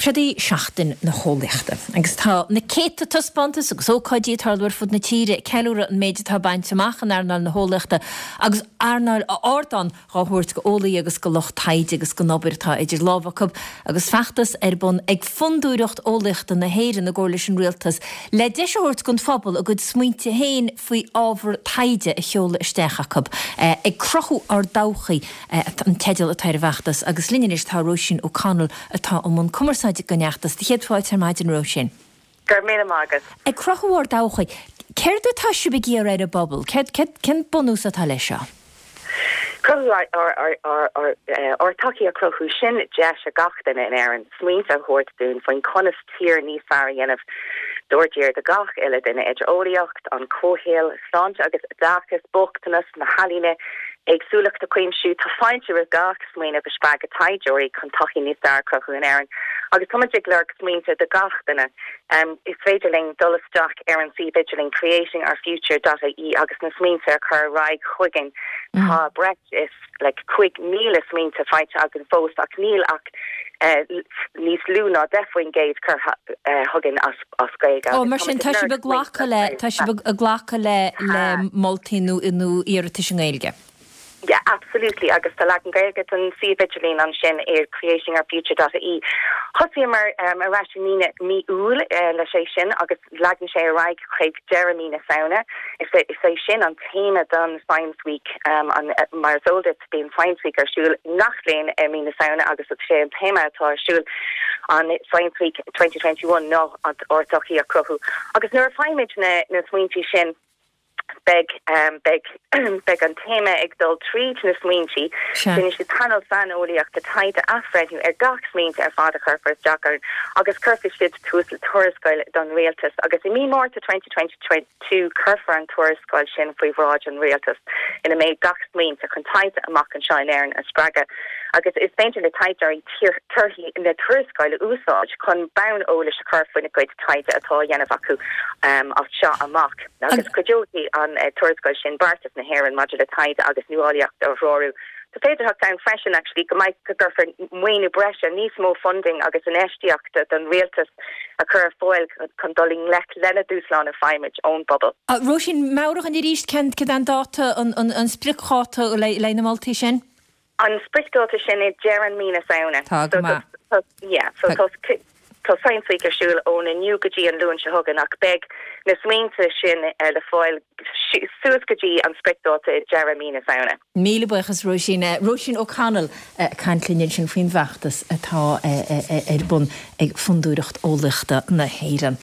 Seod í Seachtain na hEolaíochta agus tá na céadta taispeántas agus ócáidí ag tarlú ar fud na tíre ag ceiliúradh an méid atá bainte amach in earnáil na heolaíochta agus earnáil ardán dhá thabhairt go eolaithe agus go lucht taighde agus gon obair atá idir lámha acu agus feachtas ar bun ag Fondúireacht Eolaíochta na hÉireann i gcomhar leis an Rialtas le deis a thabhairt don phobal a gcuid smaointe féin faoi ábhar taighde a sheoladh isteach acu. Ag Cruthú Ár dTodhchaí an teideal atá ar an bhfeachtas agus linn anois tá Róisín O'Connell atá i mbun cumarsáide don fheachtas. Do chéad fáilte ar maidin Róisín. Go raibh míle maith agat. Ag Cruthú Ár dTodhchaí. Céard atá sibh ag iarraidh ar an bpobal? Céard, céard, cén bunús atá leis seo? Cruthú ár dtodhchaí a chruthú, sin deis ag gach duine in Éirinn smaointe a thabhairt dúinn faoin conas tír níos fearr a dhéanamh dár dtír do gach uile duine, idir eolaíocht, an comhshaol, sláinte agus oideachas, bochtanas, na healaíona, éagsúlacht a chuimsiú. Tá fáilte roimh gach smaoineamh a spreagfaidh taighdeoirí chun todhchaí níos fearr a chruthú in Éirinn agus táimid ag lorg smaointe do gach duine. Is féidir linn dul isteach ar an suíomh idirlín creatingourfuture dot ie agus na smaointe a chur ar aghaidh chugainn. Tá breis is like 5,000 smaointe faighte againn fós ach níl ach níos lú ná 10% curtha chugainn as Gaeilge. Ó, mar sin tá sibh ag glacadh le, tá sibh ag glacadh le le moltaí nó nó iarratais i nGaeilge? Yeah, absolutely, agus tá leagan Gaeilge den suíomh idirlín ansin ar creatingourfuture dot ie. Thosaíomar ar ais i mí na, mí Iúil leis é sin agus leanann sé ar aghaidh chuig deireadh mí na Samhna. Is é, is é sin an téama don Science Week, an, mar is eol duit bíonn Science Week ar siúl ngach bliain i mí na Samhna agus is é an téama atá ar siúl an Science Week 2021 ná ár dtodhchaí a chruthú. Agus nuair a faighimid na, na smaointí sin, Beidh, beidh, beidh an téama ag dul tríd na smaointí. Déanfaidh siad painéal saineolaíochta taighde athbhreithniú ar gach smaointe ar fad a chuirfear isteach orainn agus cuirfidh siad tús le tuarascáil don Rialtas agus i mí Márta 2022 cuirfear an tuarascáil sin faoi bhráid an Rialtais ina mbeidh gach smaointe chun taighde amach anseo in Éirinn a spreagadh agus is féidir le taighdeoirí torthaí na tuarascáil a úsáid chun bonn eolais a chur faoina gcuid taighde atá á dhéanamh acu as seo amach agus cuideoidh an tuarascáil sin beartas na hÉireann maidir le taighde agus nuálaíocht a threorú. Tá féidearthacht ann freisin actually go mbeidh go gcuirfear maoiniú breise, níos mó funding agus infheistíochta don rialtas a chur ar fáil chun dul i ngleic lena dúshláin a faighimid ón bpobal. Róisín, meabhraigh dhúinn arís cén cad é an dáta, an spriocdháta le haghaidh na moltaí sin? An spriocdháta sin i deireadh mí na Samhna. Tá go maith. Yeah, so tá tá Science Week ar siúl ón inniu go dtí an Luan seo chugainn ach beidh na smaointe sin le fáil suas go dtí an spriocdháta i deireadh mí na Samhna. Míle buíochas Róisín. Róisín O'Connell ag caint linn ansin faoin bhfeachtas atá ar bun ag Fondúireacht Eolaíochta na hÉireann.